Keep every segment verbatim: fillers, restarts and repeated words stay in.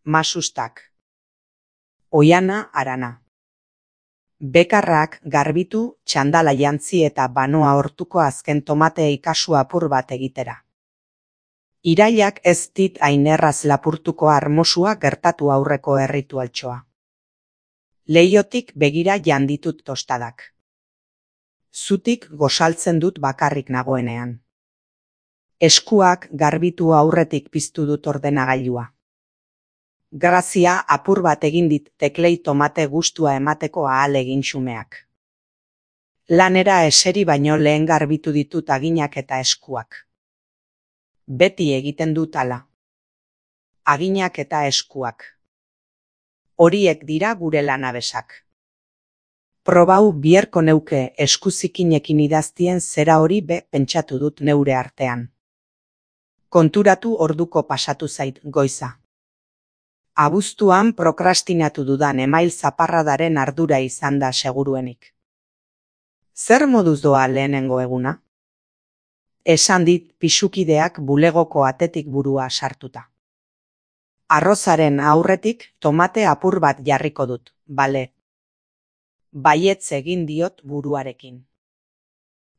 Masustak. Oiana Arana. Bekarrak garbitu, txandala jantzi eta banoa hortuko azken tomateei kasu apur bat egitera. Irailak ez dit hain erraz lapurtuko armosua gertatu aurreko erritualtxoa. Leiotik begira janditut tostadak. Zutik gosaltzen dut bakarrik nagoenean. Eskuak garbitu aurretik piztu dut ordenagailua. Grazia apur bat egin dit teklei tomate gustua emateko ahalegin xumeak. Lanera eseri baino lehen garbitu ditut aginak eta eskuak. Beti egiten dut hala. Aginak eta eskuak. Horiek dira gure lanabesak. Probau bierko neuke eskuzikinekin idaztien zera hori be pentsatu dut neure artean. Konturatu orduko pasatu zait goiza. Abuztuan prokrastinatu dudan email zaparradaren ardura izan da seguruenik. Zer moduz doa lehenengo eguna? Esan dit pisukideak bulegoko atetik burua sartuta. Arrozaren aurretik tomate apur bat jarriko dut, bale. Baietz egin diot buruarekin.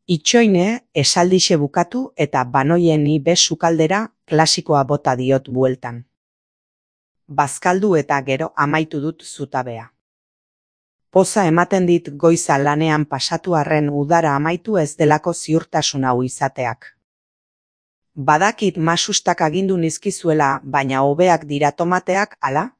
Itxoine esaldixe bukatu eta banoieni be sukaldera klasikoa bota diot bueltan. Bazkaldu eta gero amaitu dut zutabea. Poza ematen dit goiza lanean pasatu arren udara amaitu ez delako ziurtasun hau izateak. Badakit masustak agindu nizkizuela, baina hobeak dira tomateak, ala?